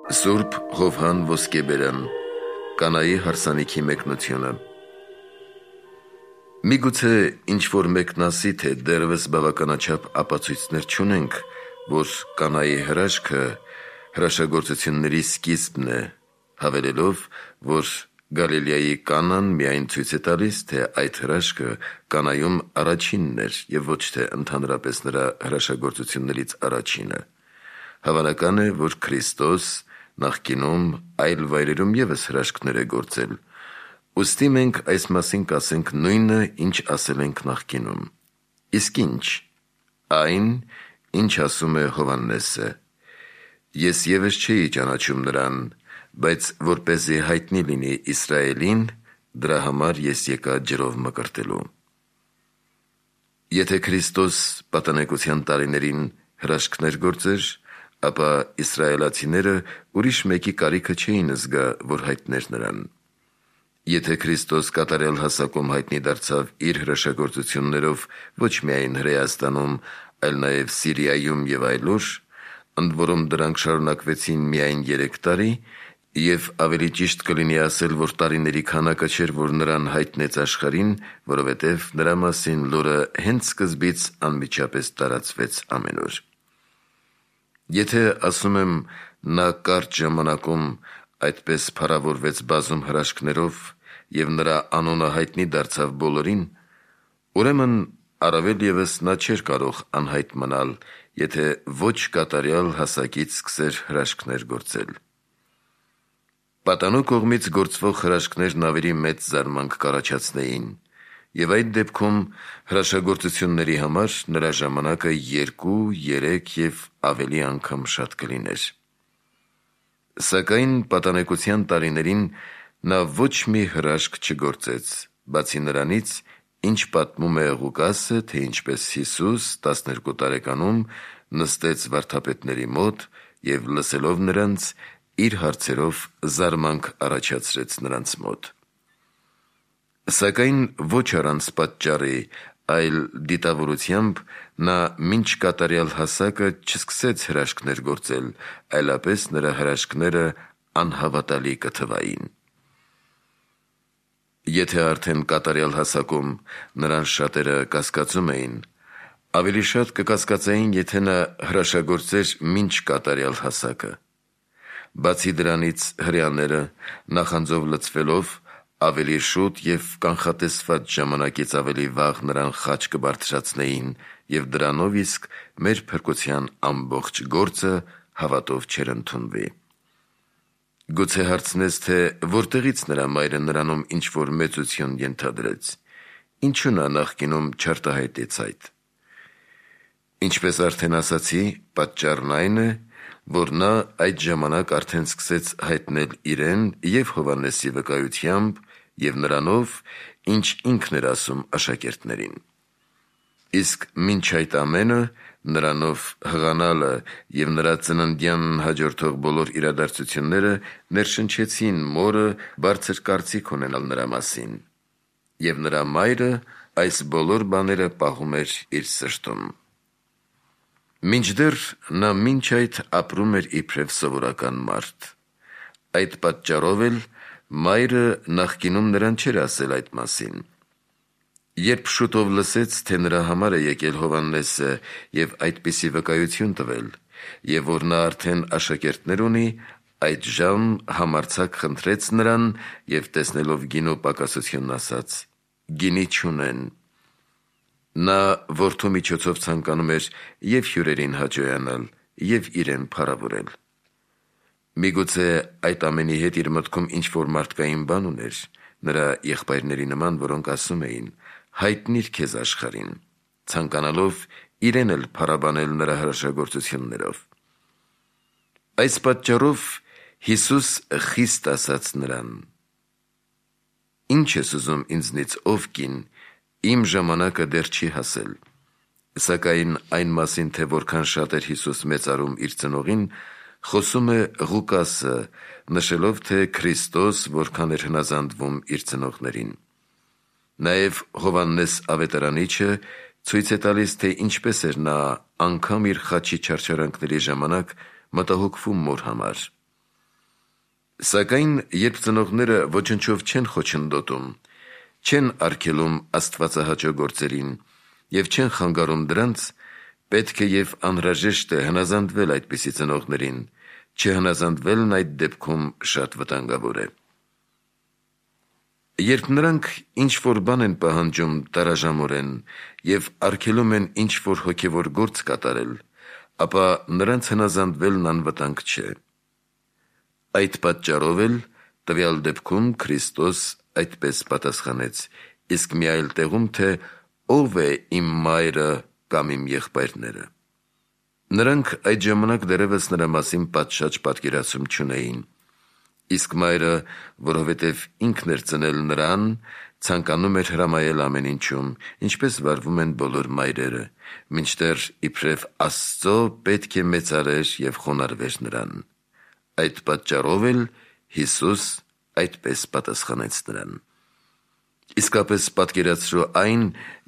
Սուրբ Հովհան Ոսկեբերյան Կանայի հարսանիքի մեկնությունը։ Միգուցե ինչ-որ մեկն ասի, թե դեռևս բավականաչափ ապացույցներ չունենք, որ Կանայի հրաշքը հրաշագործությունների սկիզբն է, հավելելով, որ Գալիլեայի Կանան միայն ցույց է տալիս, թե այդ հրաշքը Կանայում առաջինն էր և ոչ թե ընդհանրապես նրա հրաշագործություններից առաջինը։ Հավանական է, որ Քրիստոս նախկինում այլ վայրերում ևս հրաշքներ է գործել, ուստի մենք այս մասին կասենք նույնը, ինչ ասել ենք նախկինում։ Իսկ ինչ? Այն, ինչ ասում է Հովհաննեսը. «Ես ևս չէի ճանաչում նրան, բայց որպեսզի հայտնի լինի Իսրայելին, դրա համար ես եկա ջրով մկրտելու»։ Եթե Քրիստոս պատանեկության տարիներին հրաշքներ գործեր, ապա իսրայելացիները ուրիշ մեկի կարիքը չէին զգա, որ հայտներ նրան։ Եթե Քրիստոս կատարյալ հասակում հայտնի դարձավ իր հրաշագործություններով ոչ միայն Հրեաստանում, այլ նաև Սիրիայում և այլուր, ընդ որում դրանք շարունակվեցին միայն 3 տարի, և ավելի ճիշտ կլինի ասել, որ տարիների քանակը չէր, որ նրան հայտնեց աշխարհին, որովհետև նրա մասին լուրը հենց սկզբից անմիջապես տարածվեց ամենուր։ Եթե ասում եմ, նա կարճ ժամանակում այդպես փառավորվեց բազում հրաշքներով և նրա անունը հայտնի դարձավ բոլորին, ուրեմն առավել ևս նա չէր կարող անհայտ մնալ, եթե ոչ կատարյալ հասակից սկսեր հրաշքներ գործել։ Պատանու կողմից գործվող հրաշքներն ավելի մեծ զարմանք կառաջացնեին, և այդ դեպքում հրաշագործությունների համար նրա ժամանակը 2, 3 և ավելի անգամ շատ կլիներ։ Սակայն պատանեկության տարիներին նա ոչ մի հրաշք չգործեց, բացի նրանից, ինչ պատմում է Ղուկասը, թե ինչպես Հիսուս 12 տարեկանում նստեց վարդապետների մոտ և լսելով նրանց, իր հարցերով զարմանք առաջացրեց նրանց մոտ։ Սակայն ոչ առանց պատճառի, այլ դիտավորությամբ նա մինչ կատարյալ հասակը չսկսեց հրաշքներ գործել, այլապես նրա հրաշքները անհավատալի կթվային։ Եթե արդեն կատարյալ հասակում նրան շատերը կասկածում էին, ավելի շատ կկասկածեին, եթե նա հրաշագործեր մինչ կատարյալ հասակը։ Բացի դրանից, հրեաները նախանձով լցվելով ավելի շուտ և կանխատեսված ժամանակից ավելի վաղ նրան խաչ կբարձրացնեին և դրանով իսկ մեր փրկության ամբողջ գործը հավատով չէր ընդունվի։ Գուցե հարցնես, թե որտեղից նրա մայրը նրանում ինչ-որ մեծություն ենթադրեց, ինչու նա նախկինում չարտահայտեց այդ։ Ինչպես արդեն ասացի, պատճառն այն է, որ նա այդ ժամանակ արդեն սկսեց հայտնել իրեն և Հովհաննեսի վկայությամբ և նրանով, ինչ ինքն էր ասում աշակերտներին։ Իսկ մինչ այդ ամենը, նրանով հղանալը և նրա ծննդյանն հաջորդող բոլոր իրադարձությունները ներշնչեցին մորը բարձր կարծիք ունենալ նրա մասին, և նրա մայրը այս բոլոր բաները պահում էր իր սրտում։ Մինչդեռ նա մինչ այդ ապրում էր իբրև սովորական մարդ։ Այդ պատճառով էլ մայրը նախկինում նրան չէր ասել այդ մասին։ Երբ շուտով լսեց, թե նրա համար է եկել Հովհաննեսը և այդպիսի վկայություն տվել, և որ նա արդեն աշակերտներ ունի, այդժամ համարձակ խնդրեց նրան և տեսնելով գինու պակասությունն ասաց. «Գինի չունեն»։ Նա որդու միջոցով ցանկանում էր և հյուրերին հաճոյանալ, և իրեն փառավորել։ Միգուցե այդ ամենի հետ իր մտքում ինչ-որ մարդկային բան ուներ, նրա եղբայրների նման, որոնք ասում էին. «Հայտնի՛ր քեզ աշխարհին», ցանկանալով իրեն էլ փառաբանել նրա հրաշագործություններով։ Այս պատճառով Հիսուս խիստ ասաց նրան. «Ի՞նչ ես ուզում ինձնից, ով կին, իմ ժամանակը դեռ չի հասել»։ Սակայն այն մասին, թե որքան շատ էր Հիսուս մեծարում իր ծնողին, խոսում է Ղուկասը, նշելով, թե Քրիստոս որքան էր հնազանդվում իր ծնողներին։ Նաև Հովհաննես Ավետարանիչը ցույց է տալիս, թե ինչպես էր նա անգամ իր խաչի չարչարանքների ժամանակ մտահոգվում մոր համար։ Սակայն երբ ծնողները ոչնչով չեն խոչընդոտում, չեն արգելում աստվածահաճո գործերին և չեն խանգարում դրանց, պետք է և անհրաժեշտ է հնազանդվել այդպիսի ծնողներին, չհնազանդվելն այդ դեպքում շատ վտանգավոր է։ Երբ նրանք ինչ-որ բան են պահանջում տարաժամորեն և արգելում են ինչ-որ հոգևոր գործ կատարել, ապա նրանց հնազանդվելն անվտանգ չէ։ Այդ պատճառով էլ տվյալ դեպքում Քրիստոս այդպես պատասխանեց, իսկ մի այլ տեղում, թե «Ո՞վ է իմ մայրը կամ իմ եղբայրները»։ Նրանք այդ ժամանակ դեռևս նրա մասին պատշաճ պատկերացում չունեին, իսկ մայրը, որովհետև ինքն էր ծնել նրան, ցանկանում էր հրամայել ամեն ինչում, ինչպես վարվում են բոլոր մայրերը, մինչդեռ իբրև Աստծո պետք է մեծարեր և խոնարհվեր նրան։ Այդ պատճառով էլ Հիսուս այդպես պատասխանեց նրան։ Իսկապես պատկերացրու այն,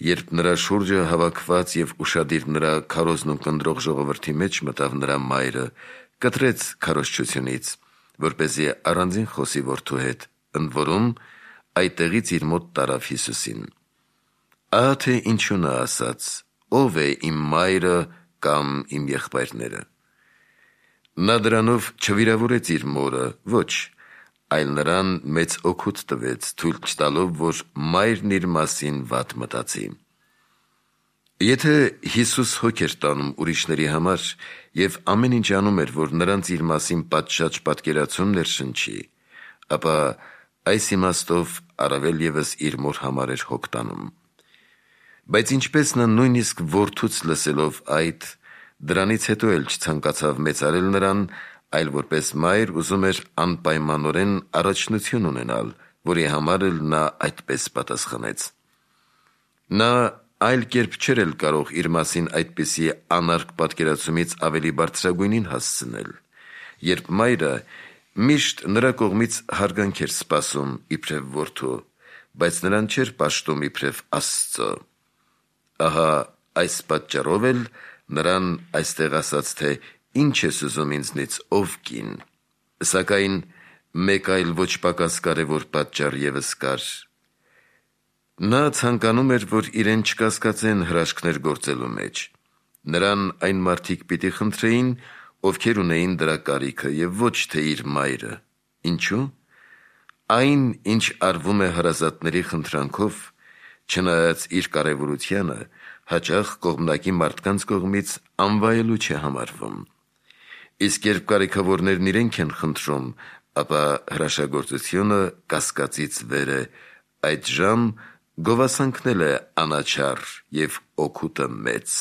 երբ նրա շուրջը հավաքված և ուշադիր նրա քարոզն ունկնդրող ժողովրդի մեջ մտավ նրա մայրը, կտրեց քարոզչությունից, որպեսզի առանձին խոսի որդու հետ, ընդ որում այդտեղից իր մոտ տարավ Հիսուսին։ Ահա թե ինչու նա ասաց. «Ո՞վ է իմ մայրը կամ իմ եղբայրները»։ Նա դրանով չվիրավորեց իր մորը, ոչ, այլ նրան մեծ օգուտ տվեց, թույլ չտալով, որ մայրն իր մասին վատ մտածի։ Եթե Հիսուս հոգ էր տանում ուրիշների համար և ամեն ինչ անում էր, որ նրանց իր մասին պատշաճ պատկերացում ներշնչի, ապա այս իմաստով առավել ևս իր մոր համար էր հոգ տանում։ Բայց ինչպես նա նույնիսկ որդուց լսելով այդ, դրանից հետո էլ չցանկացավ մեծարել նրան, այլ որպես մայր ուզում էր անպայմանորեն առաջնություն ունենալ, որի համար էլ նա այդպես պատասխանեց։ Նա այլ կերպ չէր էլ կարող իր մասին այդպիսի անարգ պատկերացումից ավելի բարձրագույնին հասցնել, երբ մայրը միշտ նրա կողմից հարգանք էր սպասում իբրև որդու, բայց նրան չէր պաշտում իբրև Աստծո։ Ահա այս պատճառով էլ նրան այստեղ ասաց, թե «Ինչ ես ուզում ինձնից, ով կին»։ Սակայն մեկ այլ ոչ պակաս կարևոր պատճառ ևս կար։ Նա ցանկանում էր, որ իրեն չկասկածեն հրաշքներ գործելու մեջ։ Նրան այն մարդիկ պիտի խնդրեին, ովքեր ունեին դրա կարիքը, և ոչ թե իր մայրը։ Ինչու՞։ Այն, ինչ արվում է հարազատների խնդրանքով, չնայած իր կարևորությանը, հաճախ կողմնակի մարդկանց կողմից անվայելու չէ համարվում։ Իսկ երբ կարիքավորներն իրենք են խնդրում, ապա հրաշագործությունը կասկածից վեր է, այդժամ գովասանքն էլ է անաչառ և օգուտը մեծ։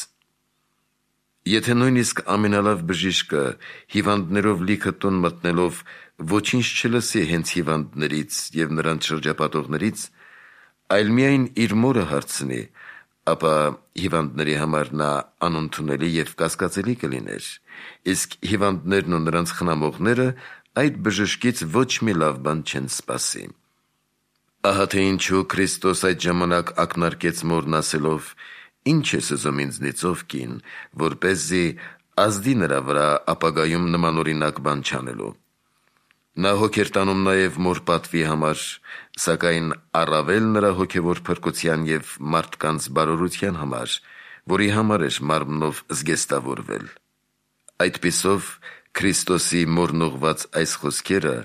Եթե նույնիսկ ամենալավ բժիշկը հիվանդներով լիքը տուն մտնելով ոչինչ չլսի հենց հիվանդներից և նրանց շրջապատողներից, այլ միայն իր մորը հարցնի, ապա հիվանդների համար նա անընդունելի և կասկածելի կլիներ, իսկ հիվանդներն ու նրանց խնամողները այդ բժշկից ոչ մի լավ բան չեն սպասի։ Ահա թե ինչու Քրիստոս այդ ժամանակ ակնարկեց մորն ասելով. «Ինչ ես ուզում ինձնից, ով կին», որպեսզի ազդի նրա վրա ապագայում նմանօրինակ բան չանելու։ Նա հոգ էր տանում նաև մոր պատվի համար, սակայն առավել նրա հոգևոր փրկության և մարդկանց բարօրության համար, որի համար էր մարմնով զգեստավորվել։ Այդպիսով Քրիստոսի մորն ուղված այս խոսքերը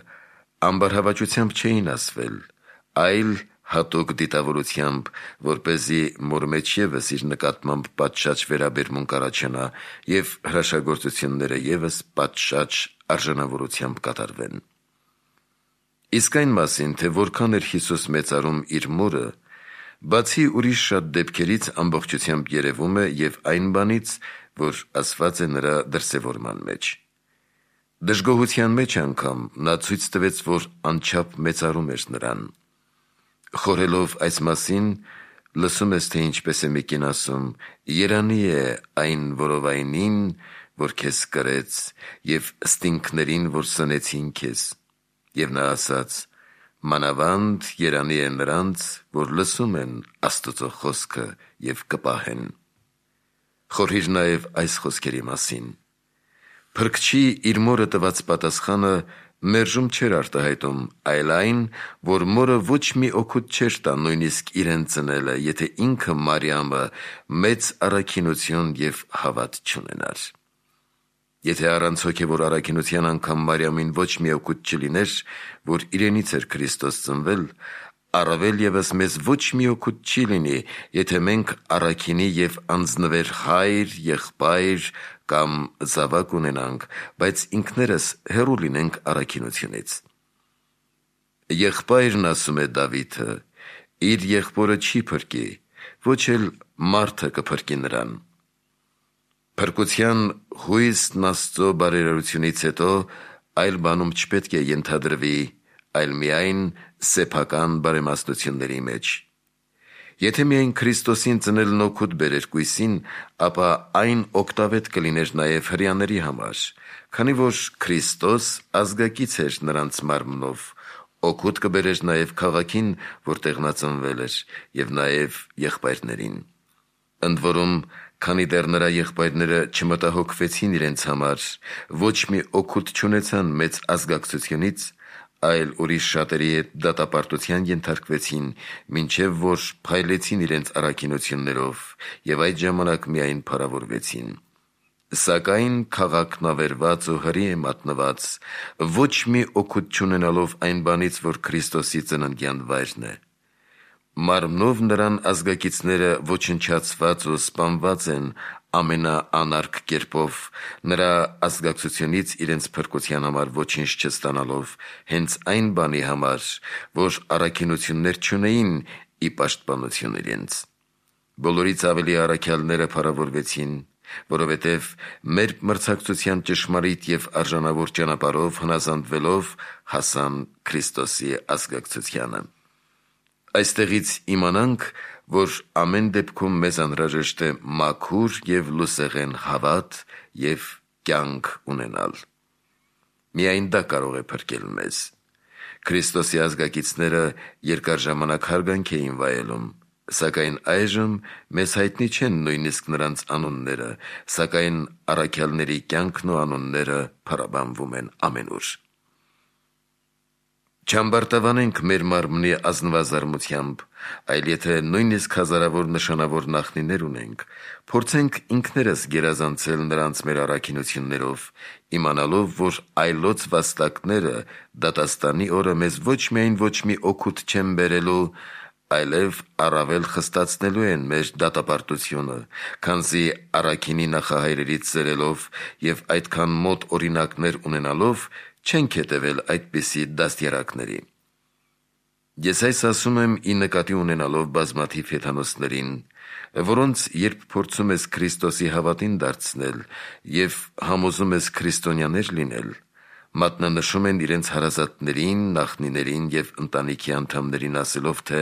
ամբարհավաճությամբ չէին ասվել, այլ հատուկ դիտավորությամբ, որպեսզի մոր մեջ ևս իր նկատմամբ պատշաճ վերաբերմունք առաջանա և հրաշագործությունները ևս պատշաճ արժանավորությամբ կատարվեն։ Իսկ այն մասին, թե որքան էր Հիսուս մեծարում իր մորը, բացի ուրիշ շատ դեպքերից ամբողջությամբ երևում է և այն բանից, որ ասված է նրա դրսևորման մեջ։ Դժգոհության մեջ անգամ նա ցույց տվեց, որ անչափ մեծարում էր նրան։ Խորհելով այս մասին, լսում ես, թե ինչպես է մի կին ասում. «Երանի է այն որովայնին, որ քեզ կրեց, և ստինգներին, որ սնեցին քեզ»։ Եվ նա ասաց. «Մանավանդ երանի է նրանց, որ լսում են Աստծո խոսքը և կպահեն»։ Խորհիր նաև այս խոսքերի մասին։ Փրկչի իր մորը տված պատասխանը մերժում չէր արտահայտում, այլ այն, որ մորը ոչ մի օգուտ չէր տա նույնիսկ իրեն ծնելը, եթե ինքը Մարիամը մեծ առաքինություն և հավատ չունենար։ Եթե առանց հոգևոր առաքինության անգամ Մարիամին ոչ մի օգուտ չլիներ, որ իրենից էր Քրիստոս ծնվել, առավել ևս մեզ ոչ մի օգուտ չի լինի, եթե մենք առաքինի և անձնվեր հայր, եղբայր կամ զավակ ունենանք, բայց ինքներս հեռու լինենք առաքինությունից։ Եղբայրն ասում է Դավիթը, իր եղբորը չի փրկի, ոչ էլ մարդը կփրկի նրան։ Փրկության հույսն Աստծո բարերարությունից հետո այլ բանում չպետք է ենթադրվի, այլ միայն սեփական բարեմաստությունների մեջ։ Եթե միայն Քրիստոսին ծնելն օգուտ բերեր կույսին, ապա այն օգտավետ կլիներ նաև հրեաների համար, քանի որ Քրիստոս ազգակից էր նրանց մարմնով, օգուտ կբերեր նաև քաղաքին, որտեղ նա ծնվել էր, և նաև եղբայրներին։ Ընդ որում, քանի դեռ նրա եղբայրները չմտահոգվեցին իրենց համար, ոչ մի օգուտ չունեցան մեծ ազգակցությունից, այլ ուրիշ շատերի հետ դատապարտության ենթարկվեցին, մինչև որ փայլեցին իրենց առաքինություններով և այդ ժամանակ միայն փառավորվեցին։ Սակայն քաղաքն ավերված ու հրի է մատնված, ոչ մի օգուտ չունենալով այն բանից, որ Քրիստոսի ծննդյան վայրն է։ Մարմնով նրան ազգակիցները ոչնչացված ու սպանված են ամենաանարգ կերպով, նրա ազգակցությունից իրենց փրկության համար ոչինչ չստանալով, հենց այն բանի համար, որ առաքինություններ չունեին ի պաշտպանություն իրենց։ Բոլորից ավելի առաքյալները փառավորվեցին, որովհետև մեր մրցակցության ճշմարիտ և արժանավոր ճանապարհով հնազանդվելով հասան Քրիստոսի ազգակցությանը։ Այստեղից իմանանք, որ ամեն դեպքում մեզ անհրաժեշտ է մաքուր և լուսեղեն հավատ և կյանք ունենալ։ Միայն դա կարող է փրկել մեզ։ Քրիստոսի ազգակիցները երկար ժամանակ հարգանք էին վայելում, սակայն այժմ մեզ հայտնի չեն նույնիսկ նրանց անունները, սակայն առաքյալների կյանքն ու անունները փառաբանվում են ամենուր։ Չամբարտավանենք մեր մարմնի ազնվազարմությամբ, այլ եթե նույնիսկ հազարավոր նշանավոր նախնիներ ունենք, փորձենք ինքներս գերազանցել նրանց մեր առաքինություններով, իմանալով, որ այլոց վաստակները դատաստանի օրը մեզ ոչ միայն ոչ մի օգուտ չեն բերելու, այլև առավել խստացնելու են մեր դատապարտությունը, քանզի առաքինի նախահայրերից ծերելով և այդքան մոտ օրինակներ ունենալով չենք հետևել այդպիսի դաստիարակների։ Ես այս ասում եմ ի նկատի ունենալով բազմաթիվ հեթանոսներին, որոնց երբ փորձում ես Քրիստոսի հավատին դարձնել և համոզում ես քրիստոնյաներ լինել, մատնանշում են իրենց հարազատներին, նախնիներին և ընտանիքի անդամներին ասելով, թե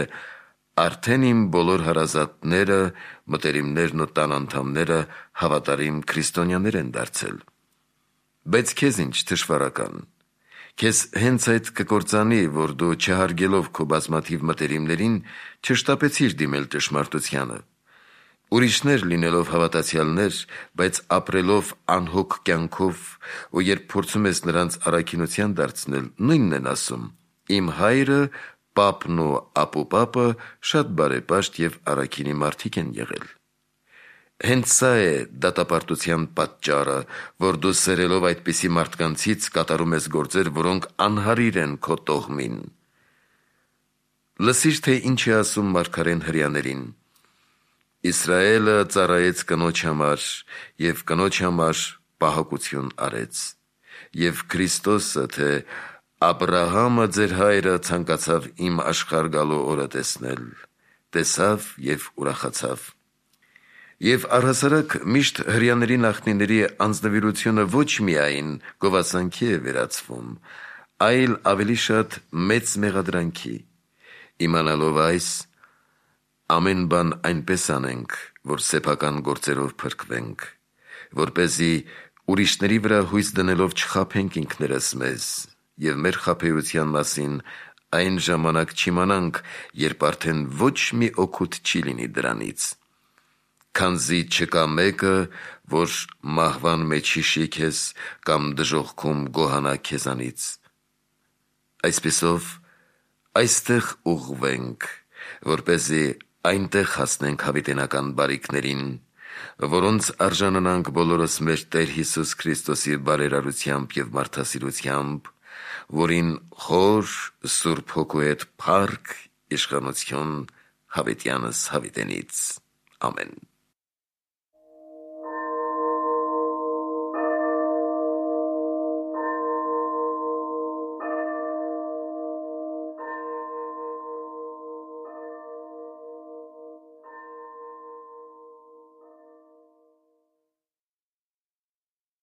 արդեն իմ բոլոր հարազատները, մտերիմներն ու տան անդամները հավատարիմ քրիստոնյաներ են դարձել։ Բայց քեզ ինչ թշվառական, քեզ հենց այդ կկործանի, որ դու չհարգելով քո բազմաթիվ մտերիմներին չշտապեցիր դիմել ճշմարտությանը։ Ուրիշներ լինելով հավատացյալներ, բայց ապրելով անհոգ կյանքով, ու երբ փորձում ես նրանց առաքինության դարձնել, նույնն են ասում. իմ հայրը, պապն ու ապուպապը շատ բարեպաշտ և առաքինի մարդիկ են եղել։ Հենց սա է դատապարտության պատճառը, որ դու սերելով այդպիսի մարդկանցից կատարում ես գործեր, որոնք անհարիր են քո տոհմին։ Լսիր, թե ինչ է ասում մարգարեն հրեաներին. Իսրայելը ծառայեց կնոջ համար և կնոջ համար պահակություն արեց։ Եվ Քրիստոսը, թե Աբրահամը ձեր հայրը ցանկացավ իմ աշխարհ գալու օրը տեսնել, տեսավ և ուրախացավ։ Եվ առհասարակ միշտ հրեաների նախնիների անձնվիրությունը ոչ միայն գովասանքի է վերածվում, այլ ավելի շատ մեծ մեղադրանքի։ Իմանալով այս, ամեն բան այնպես անենք, որ սեփական գործերով փրկվենք, որպեսզի ուրիշների վրա հույս դնելով չխաբենք ինքներս մեզ և մեր խաբեության մասին այն ժամանակ չիմանանք, երբ արդեն ոչ մի օգուտ չի լինի դրանից։ Քանզի չկա մեկը, որ մահվան մեջ հիշի քեզ կամ դժոխքում գոհանա քեզանից, Այսպիսով այստեղ ուղղվենք, որպեսզի այնտեղ հասնենք հավիտենական բարիքներին, որոնց արժանանանք բոլորս մեր Տեր Հիսուս Քրիստոսի բարերարությամբ և մարդասիրությամբ, որին խոր Սուրբ Հոգու հետ փառք, իշխանություն հավիտյանս հավիտենից։ Ամեն։